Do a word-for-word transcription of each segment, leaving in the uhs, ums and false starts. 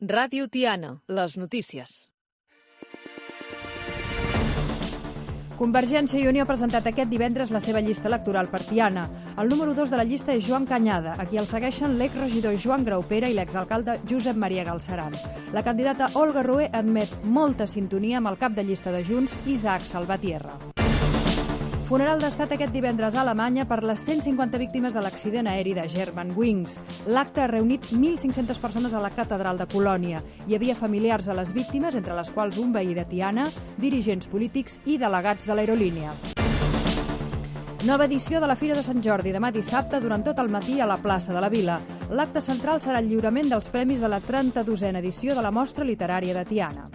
Ràdio Tiana, les notícies. Convergència i Unió ha presentat aquest divendres la seva llista electoral per Tiana. El número dos de la llista és Joan Cañada, a qui el segueixen l'exregidor Joan Graupera i l'exalcalde Josep Maria Galceran. La candidata Olga Rué admet molta sintonia amb el cap de llista de Junts, Isaac Salvatierra. Funeral d'estat aquest divendres a Alemanya per les cent cinquanta víctimes de l'accident aeri de Germanwings. L'acte ha reunit mil cinc-centes persones a la catedral de Colònia. Hi havia familiars de les víctimes, entre les quals un veí de Tiana, dirigents polítics i delegats de l'aerolínia. Nova edició de la Fira de Sant Jordi, demà dissabte, durant tot el matí a la plaça de la Vila. L'acte central serà el lliurament dels premis de la trenta-dosena edició de la Mostra Literària de Tiana.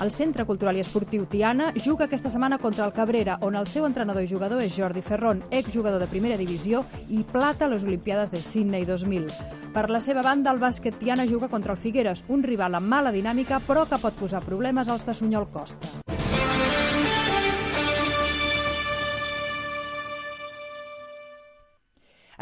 El Centre Cultural i Esportiu Tiana juga aquesta setmana contra el Cabrera, on el seu entrenador i jugador és Jordi Ferrón, exjugador de primera divisió i plata a les Olimpiades de Sydney dos mil. Per la seva banda, el bàsquet Tiana juga contra el Figueres, un rival amb mala dinàmica, però que pot posar problemes als de Sunyol Costa.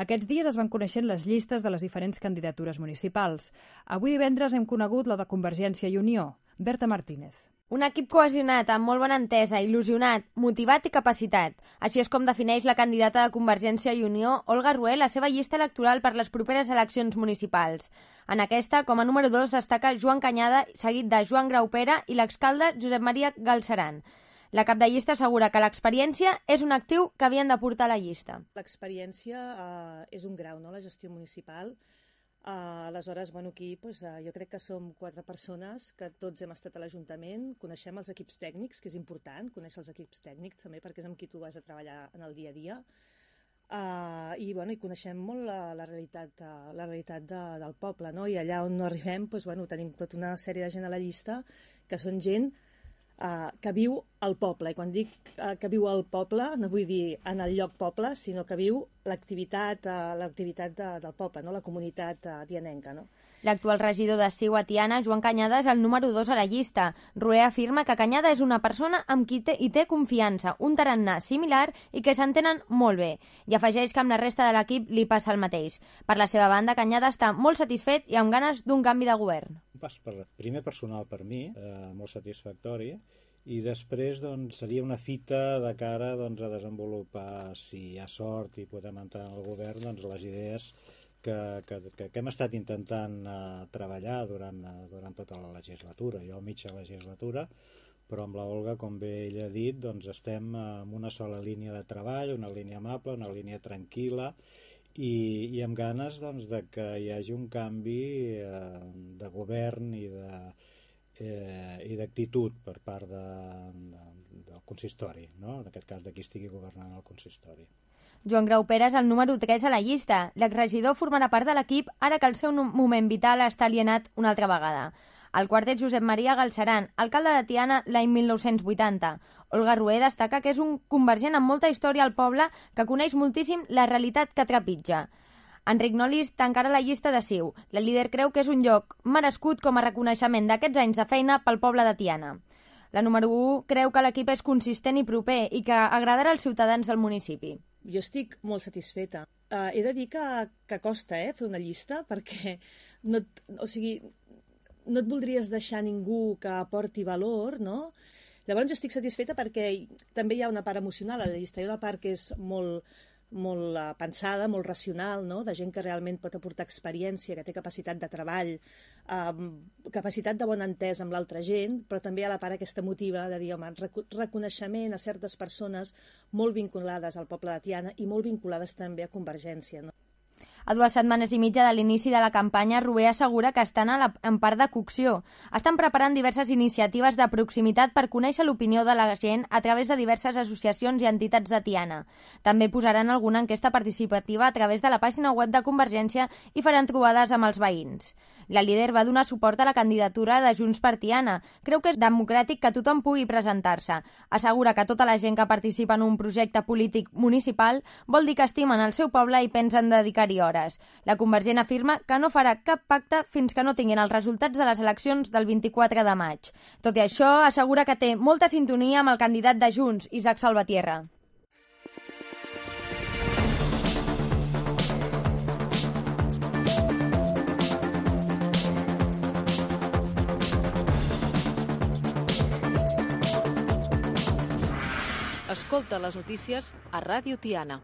Aquests dies es van coneixent les llistes de les diferents candidatures municipals. Avui divendres hem conegut la de Convergència i Unió. Berta Martínez. Un equip cohesionat, amb molt bona entesa, il·lusionat, motivat i capacitat. Així és com defineix la candidata de Convergència i Unió, Olga Rué, la seva llista electoral per les properes eleccions municipals. En aquesta, com a número dos, destaca Joan Cañada, seguit de Joan Graupera i l'exalcalde Josep Maria Galceran. La cap de llista assegura que l'experiència és un actiu que havien de portar a la llista. L'experiència eh, és un grau, no?, la gestió municipal. Uh, aleshores, bueno, aquí pues, uh, jo crec que som quatre persones que tots hem estat a l'Ajuntament, coneixem els equips tècnics, que és important, conèixer els equips tècnics també, perquè és amb qui tu vas a treballar en el dia a dia, uh, i, bueno, i coneixem molt la, la realitat, uh, la realitat de, del poble, no? I allà on no arribem, pues, bueno, tenim tota una sèrie de gent a la llista que són gent Uh, que viu al poble, i quan dic uh, que viu al poble no vull dir en el lloc poble, sinó que viu l'activitat uh, l'activitat de, del poble, no? La comunitat uh, tianenca, no? L'actual regidor de C I U a Tiana, Joan Cañada, és el número dos a la llista. Rué afirma que Cañada és una persona amb qui té, hi té confiança, un tarannà similar i que s'entenen molt bé. I afegeix que amb la resta de l'equip li passa el mateix. Per la seva banda, Cañada està molt satisfet i amb ganes d'un canvi de govern. Pas per, primer personal per mi, eh, molt satisfactori, i després doncs, seria una fita de cara doncs, a desenvolupar, si hi ha sort i podem entrar en el govern, doncs, les idees que, que, que, que hem estat intentant uh, treballar durant, uh, durant tota la legislatura, jo a mitja legislatura, però amb la Olga, com bé ella ha dit, doncs, estem en una sola línia de treball, una línia amable, una línia tranquil·la, i, i amb ganes doncs, de que hi hagi un canvi uh, de govern i de Eh, i d'actitud per part de, de, del consistori, no? En aquest cas de qui estigui governant el consistori. Joan Graupera és el número tres a la llista. L'exregidor formarà part de l'equip ara que el seu moment vital està alienat una altra vegada. El quart és Josep Maria Galceran, alcalde de Tiana l'any mil nou-cents vuitanta. Olga Rué destaca que és un convergent amb molta història al poble que coneix moltíssim la realitat que trepitja. Enric Nolis tancarà la llista de C I U. La líder creu que és un lloc merescut com a reconeixement d'aquests anys de feina pel poble de Tiana. La número u creu que l'equip és consistent i proper i que agradarà als ciutadans del municipi. Jo estic molt satisfeta. Uh, he de dir que, que costa eh, fer una llista perquè no, o sigui, no et voldries deixar ningú que aporti valor, no? Llavors jo estic satisfeta perquè també hi ha una part emocional a la llista, hi ha una part que és molt... molt uh, pensada, molt racional, no? De gent que realment pot aportar experiència, que té capacitat de treball, um, capacitat de bona entesa amb l'altra gent, però també hi ha la part aquesta emotiva de dir, home, rec reconeixement a certes persones molt vinculades al poble de Tiana i molt vinculades també a Convergència, no? A dues setmanes i mitja de l'inici de la campanya, Rué assegura que estan a la, en part de cocció. Estan preparant diverses iniciatives de proximitat per conèixer l'opinió de la gent a través de diverses associacions i entitats de Tiana. També posaran alguna enquesta participativa a través de la pàgina web de Convergència i faran trobades amb els veïns. La líder va donar suport a la candidatura de Junts per Tiana. Creu que és democràtic que tothom pugui presentar-se. Assegura que tota la gent que participa en un projecte polític municipal vol dir que estimen el seu poble i pensen dedicar-hi hores. La Convergent afirma que no farà cap pacte fins que no tinguin els resultats de les eleccions del vint-i-quatre de maig. Tot i això, assegura que té molta sintonia amb el candidat de Junts, Isaac Salvatierra. Escolta les notícies a Ràdio Tiana.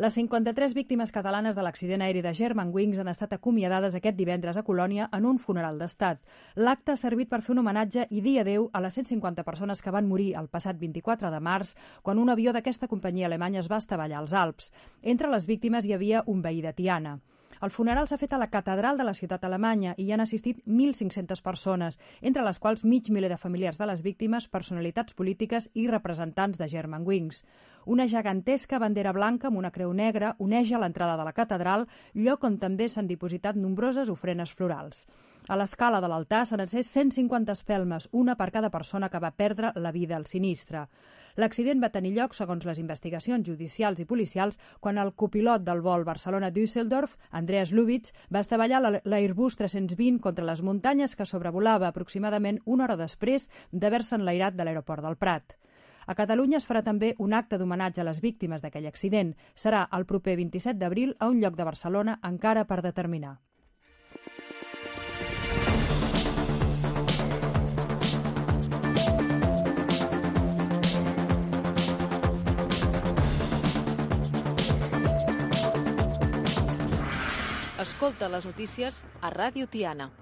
Les cinquanta-tres víctimes catalanes de l'accident aeri de Germanwings han estat acomiadades aquest divendres a Colònia en un funeral d'estat. L'acte ha servit per fer un homenatge i dir adéu a les cent cinquanta persones que van morir el passat vint-i-quatre de març quan un avió d'aquesta companyia alemanya es va estavellar als Alps. Entre les víctimes hi havia un veí de Tiana. El funeral s'ha fet a la catedral de la ciutat alemanya i hi han assistit mil cinc-centes persones, entre les quals mig miler de familiars de les víctimes, personalitats polítiques i representants de Germanwings. Una gegantesca bandera blanca amb una creu negra oneja l'entrada de la catedral, lloc on també s'han dipositat nombroses ofrenes florals. A l'escala de l'altar s'han encès cent cinquanta espelmes, una per cada persona que va perdre la vida al sinistre. L'accident va tenir lloc, segons les investigacions judicials i policials, quan el copilot del vol Barcelona-Düsseldorf, Andreas Lubitz, va estavellar l'Airbus tres-cents vint contra les muntanyes que sobrevolava aproximadament una hora després d'haver-se enlairat de l'aeroport del Prat. A Catalunya es farà també un acte d'homenatge a les víctimes d'aquell accident. Serà el proper vint-i-set d'abril a un lloc de Barcelona encara per determinar. Escolta les notícies a Ràdio Tiana.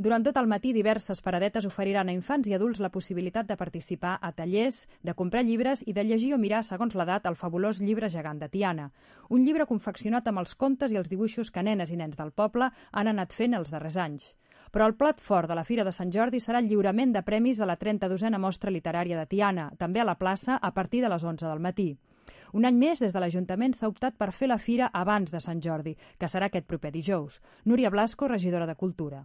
Durant tot el matí, diverses paradetes oferiran a infants i adults la possibilitat de participar a tallers, de comprar llibres i de llegir o mirar, segons l'edat, el fabulós llibre gegant de Tiana. Un llibre confeccionat amb els contes i els dibuixos que nenes i nens del poble han anat fent els darrers anys. Però el plat fort de la Fira de Sant Jordi serà el lliurament de premis a la trenta-dosena Mostra Literària de Tiana, també a la plaça a partir de les onze del matí. Un any més, des de l'Ajuntament s'ha optat per fer la fira abans de Sant Jordi, que serà aquest proper dijous. Núria Blasco, regidora de Cultura.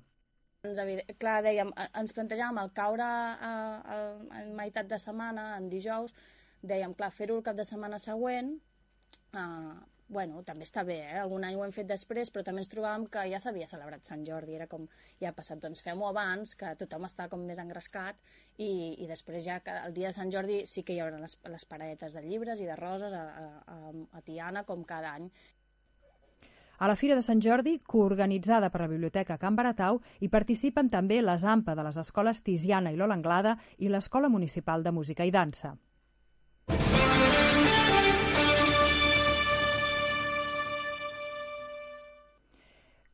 Clar, dèiem, ens plantejàvem el caure a, a, a meitat de setmana, en dijous, dèiem, clar, fer-ho el cap de setmana següent, eh, bueno, també està bé, eh? Algun any ho hem fet després, però també ens trobàvem que ja s'havia celebrat Sant Jordi, era com, ja ha passat, doncs fem-ho abans, que tothom està com més engrescat, i, i després ja el dia de Sant Jordi sí que hi haurà les, les paradetes de llibres i de roses a, a, a Tiana, com cada any. A la Fira de Sant Jordi, coorganitzada per la Biblioteca Can Baratau, hi participen també les A M P A de les escoles Tiziana i Lola Anglada i l'Escola Municipal de Música i Dansa.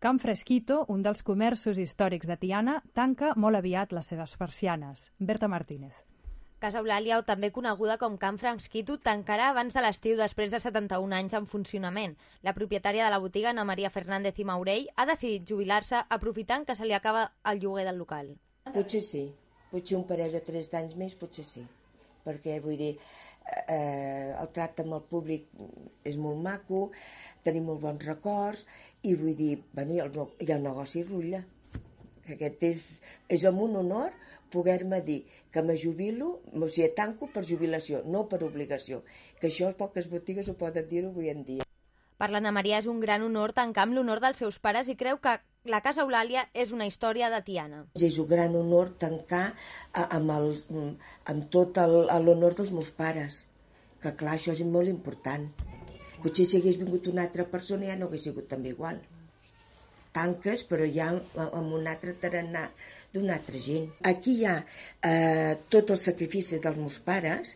Can Fresquito, un dels comerços històrics de Tiana, tanca molt aviat les seves persianes. Berta Martínez. Casa Eulàlia, o també coneguda com Can Fresquito, tancarà abans de l'estiu després de setanta-un anys en funcionament. La propietària de la botiga, Ana Maria Fernández i Maurell, ha decidit jubilar-se aprofitant que se li acaba el lloguer del local. Potser sí, potser un parell o tres d'anys més, potser sí. Perquè, vull dir, eh, el tracte amb el públic és molt maco, tenim molt bons records, i vull dir, bueno, i el, i el negoci rutlla. Aquest és, és amb un honor poder-me dir que me jubilo, o sigui, tanco per jubilació, no per obligació, que això poques botigues ho poden dir avui en dia. Per l'Anna Maria és un gran honor tancar amb l'honor dels seus pares i creu que la Casa Eulàlia és una història de Tiana. És un gran honor tancar amb, el, amb tot l'honor dels meus pares, que clar, això és molt important. Potser si hagués vingut una altra persona ja no hagués sigut també igual. Tanques, però ja amb un altre tarannà d'una altra gent. Aquí hi ha eh, tots els sacrificis dels meus pares.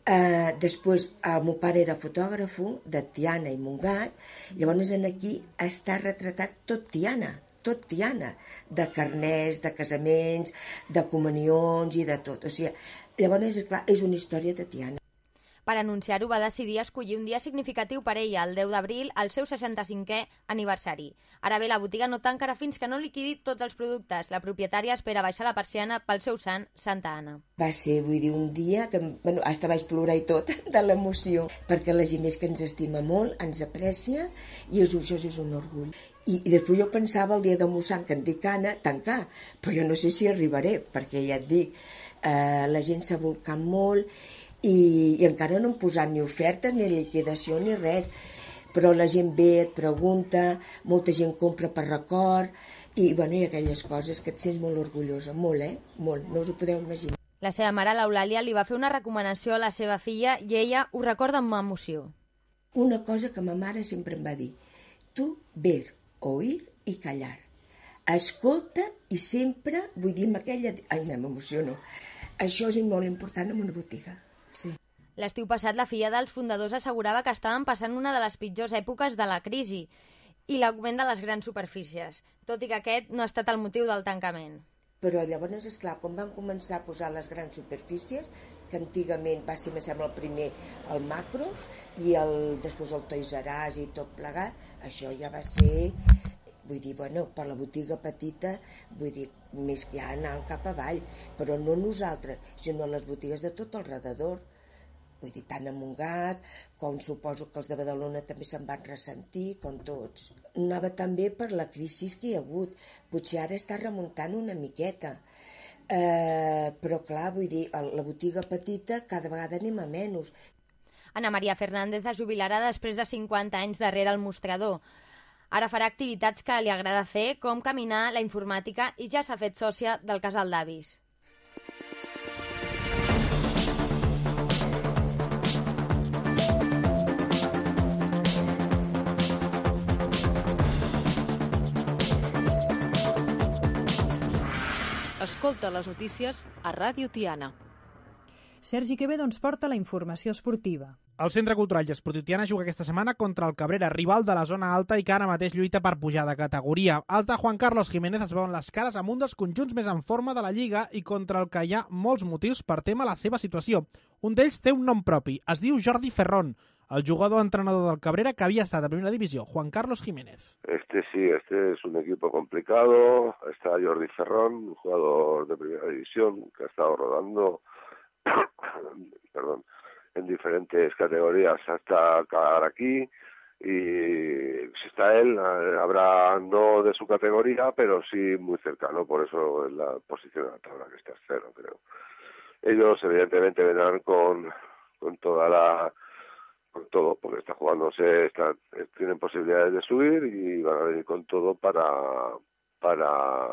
Eh, després, el meu pare era fotògraf de Tiana i Montgat, llavors aquí està retratat tot Tiana, tot Tiana, de carners, de casaments, de comunions i de tot. O sigui, llavors, és clar, és una història de Tiana. Per anunciar-ho va decidir escollir un dia significatiu per ella, el deu d'abril, el seu seixanta-cinquè aniversari. Ara bé, la botiga no tancarà fins que no liquidi tots els productes. La propietària espera baixar la persiana pel seu sant, Santa Anna. Va ser, vull dir, un dia que, bueno, hasta vaig plorar i tot de l'emoció, perquè la gent és que ens estima molt, ens aprecia, i és, això és un orgull. I, i després jo pensava el dia de Mossant, que en dic Anna, tancar, però jo no sé si arribaré, perquè ja et dic, eh, la gent s'ha volcat molt, I, i encara no hem posat ni oferta, ni liquidació, ni res. Però la gent ve, et pregunta, molta gent compra per record, i, bueno, i aquelles coses que et sents molt orgullosa, molt, eh? Molt, no us ho podeu imaginar. La seva mare, l'Eulàlia, li va fer una recomanació a la seva filla i ella ho recorda amb emoció. Una cosa que ma mare sempre em va dir, tu ver, oír i callar. Escolta i sempre, vull dir amb aquella... Ai, m'emociono. Això és molt important en una botiga, sí. L'estiu passat, la filla dels fundadors assegurava que estaven passant una de les pitjors èpoques de la crisi i l'augment de les grans superfícies, tot i que aquest no ha estat el motiu del tancament. Però llavors, esclar, quan van començar a posar les grans superfícies, que antigament va ser, me sembla, el primer el Macro i el, després el Toys R Us i tot plegat, això ja va ser, vull dir, bueno, per la botiga petita, vull dir, més que ja anant cap avall, però no nosaltres, sinó les botigues de tot el redador. Vull dir, tant a Montgat, com suposo que els de Badalona també se'n van ressentir, com tots. Anava també per la crisi que hi ha hagut. Potser ara està remuntant una miqueta. Eh, però clar, vull dir, la botiga petita cada vegada anem a menys. Ana Maria Fernández es jubilarà després de cinquanta anys darrere el mostrador. Ara farà activitats que li agrada fer, com caminar, la informàtica, i ja s'ha fet sòcia del casal d'avis. Escolta les notícies a Ràdio Tiana. Sergi Quevedo ens porta la informació esportiva. El Centre Cultural i Esportiu Tiana juga aquesta setmana contra el Cabrera, rival de la zona alta i que ara mateix lluita per pujar de categoria. Els de Juan Carlos Jiménez es veuen les cares amb un dels conjunts més en forma de la Lliga i contra el que hi ha molts motius per tema la seva situació. Un d'ells té un nom propi, es diu Jordi Ferrón, el jugador entrenador del Cabrera que había estado en primera división, Juan Carlos Jiménez. Este sí, este es un equipo complicado. Está Jordi Ferrón, un jugador de primera división que ha estado rodando perdón, en diferentes categorías hasta acabar aquí. Y si está él, habrá no de su categoría, pero sí muy cercano, por eso es la posición de la tabla que está cero, creo. Ellos evidentemente vendrán con, con toda la con todo, porque está jugándose, está, tienen posibilidades de subir y van a venir con todo para, para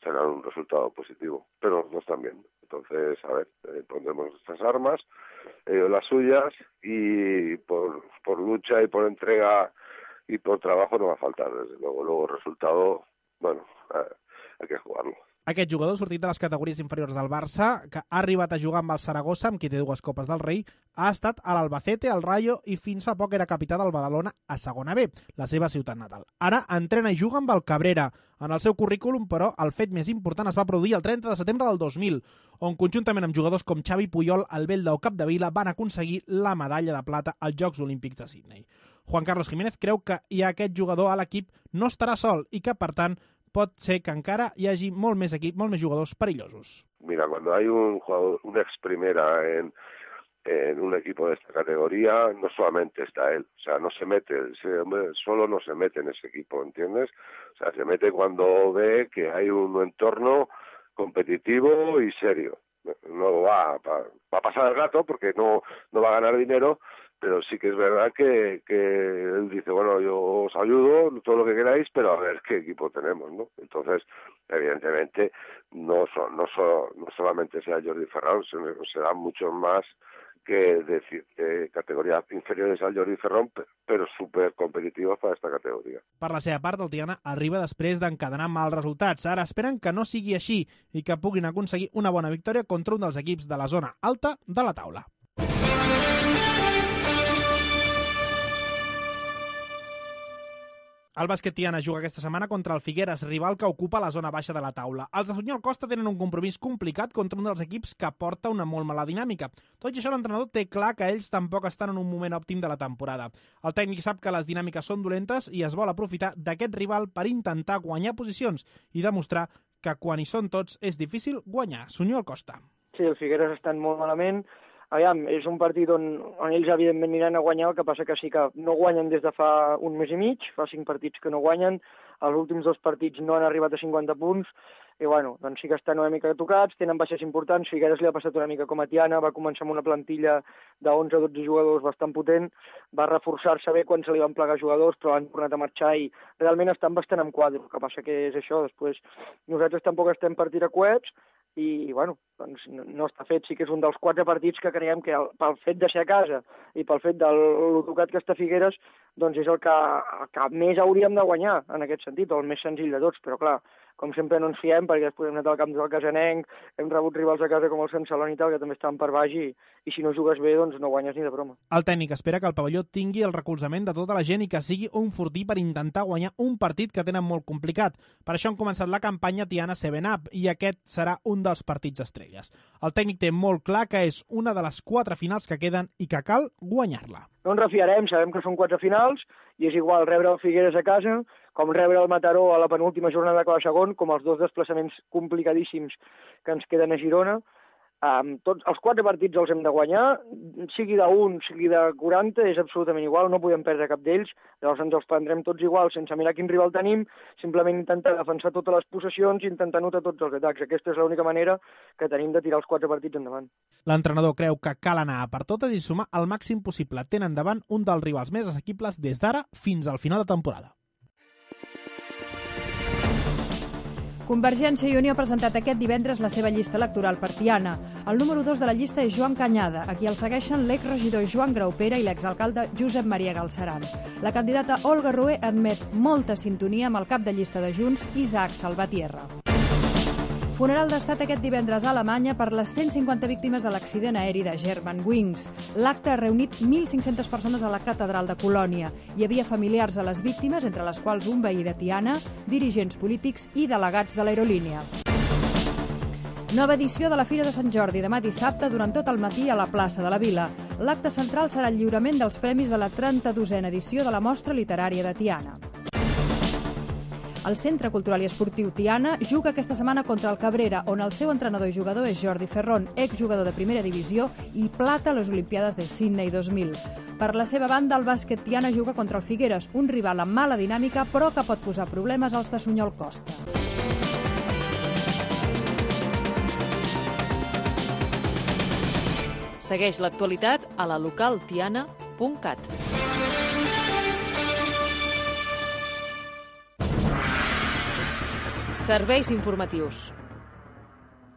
sacar un resultado positivo, pero no están bien. Entonces, a ver, eh, pondremos nuestras armas, ellos las suyas, y por, por lucha y por entrega y por trabajo no va a faltar, desde luego. Luego el resultado, bueno, eh, hay que jugarlo. Aquest jugador, sortit de les categories inferiors del Barça, que ha arribat a jugar amb el Saragossa, amb qui té dues Copes del Rei, ha estat a l'Albacete, al Rayo i fins fa poc era capità del Badalona a segona B, la seva ciutat natal. Ara entrena i juga amb el Cabrera. En el seu currículum, però, el fet més important es va produir el trenta de setembre del dos mil, on conjuntament amb jugadors com Xavi Puyol, Albelda o Capdevila van aconseguir la medalla de plata als Jocs Olímpics de Sydney. Juan Carlos Jiménez creu que hi ha aquest jugador a l'equip no estarà sol i que, per tant, pot ser que encara hi hagi molt més equip, molt més jugadors perillosos. Mira, cuando hay un jugador, un ex primera en, en un equipo de esta categoría, no solamente está él, o sea, no se mete, ese hombre solo no se mete en ese equipo, ¿entiendes? O sea, se mete cuando ve que hay un entorno competitivo y serio. No va, va, va a pasar el rato porque no, no va a ganar dinero, pero sí que es verdad que, que él dice, bueno, yo os ayudo, todo lo que queráis, pero a ver qué equipo tenemos, ¿no? Entonces, evidentemente, no, son, no, son, no solamente será Jordi Ferrón, serán muchos más que de, de categorías inferiores al Jordi Ferrón, però super competitivos para esta categoria. Per la seva part, el Tiana arriba després d'encadenar mals resultats. Ara esperen que no sigui així i que puguin aconseguir una bona victòria contra un dels equips de la zona alta de la taula. El bàsquet Tiana juga aquesta setmana contra el Figueres, rival que ocupa la zona baixa de la taula. Els de Sunyol Costa tenen un compromís complicat contra un dels equips que porta una molt mala dinàmica. Tot i això, l'entrenador té clar que ells tampoc estan en un moment òptim de la temporada. El tècnic sap que les dinàmiques són dolentes i es vol aprofitar d'aquest rival per intentar guanyar posicions i demostrar que quan hi són tots és difícil guanyar. Sunyol Costa. Sí, el Figueres estan molt malament. Aviam, és un partit on, on ells evidentment aniran a guanyar, el que passa que sí que no guanyen des de fa un mes i mig, fa cinc partits que no guanyen, els últims dos partits no han arribat a cinquanta punts, i bueno, doncs sí que estan una mica tocats, tenen baixes importants, Figueres li ha passat una mica com a Tiana, va començar amb una plantilla de onze a dotze jugadors bastant potent, va reforçar-se bé quan se li van plegar jugadors, però han tornat a marxar i realment estan bastant en quadre, el que passa que és això, després nosaltres tampoc estem per tirar coets, i bueno, doncs no està fet, sí que és un dels quatre partits que creiem que pel fet de ser a casa i pel fet del tocat que està Figueres, doncs és el que, el que més hauríem de guanyar en aquest sentit, o el més senzill de tots, però clar, com sempre no ens fiem perquè després hem anat al camp del Casanenc, hem rebut rivals a casa com el Sant Celoni i tal, que també estan per baix i, i si no jugues bé doncs no guanyes ni de broma. El tècnic espera que el pavelló tingui el recolzament de tota la gent i que sigui un fortí per intentar guanyar un partit que tenen molt complicat. Per això han començat la campanya Tiana seven up i aquest serà un dels partits estrelles. El tècnic té molt clar que és una de les quatre finals que queden i que cal guanyar-la. No ens refiarem, sabem que són quatre finals i és igual rebre el Figueres a casa com rebre el Mataró a la penúltima jornada de cada segon, com els dos desplaçaments complicadíssims que ens queden a Girona. Um, tots, els quatre partits els hem de guanyar, sigui d'un, sigui de quaranta, és absolutament igual, no podem perdre cap d'ells, llavors ens els prendrem tots igual, sense mirar quin rival tenim, simplement intentar defensar totes les possessions i intentar anotar tots els atacs. Aquesta és l'única manera que tenim de tirar els quatre partits endavant. L'entrenador creu que cal anar a per totes i sumar el màxim possible. Tenen davant un dels rivals més assequibles des d'ara fins al final de temporada. Convergència i Unió ha presentat aquest divendres la seva llista electoral per Tiana. El número dos de la llista és Joan Cañada, a qui el segueixen l'exregidor Joan Graupera i l'exalcalde Josep Maria Galceran. La candidata Olga Rué admet molta sintonia amb el cap de llista de Junts, Isaac Salvatierra. Funeral d'estat aquest divendres a Alemanya per les cent cinquanta víctimes de l'accident aeri de Germanwings. L'acte ha reunit mil cinc-centes persones a la catedral de Colònia. Hi havia familiars de les víctimes, entre les quals un veí de Tiana, dirigents polítics i delegats de l'aerolínia. Nova edició de la Fira de Sant Jordi, demà dissabte, durant tot el matí a la plaça de la Vila. L'acte central serà el lliurament dels premis de la trenta-dosena edició de la Mostra Literària de Tiana. El Centre Cultural i Esportiu Tiana juga aquesta setmana contra el Cabrera, on el seu entrenador i jugador és Jordi Ferrón, exjugador de primera divisió i plata a les Olimpiades de Sydney dos mil. Per la seva banda, el bàsquet Tiana juga contra el Figueres, un rival amb mala dinàmica, però que pot posar problemes als de Sunyol Costa. Segueix l'actualitat a la local tiana punt cat. Serveis informatius.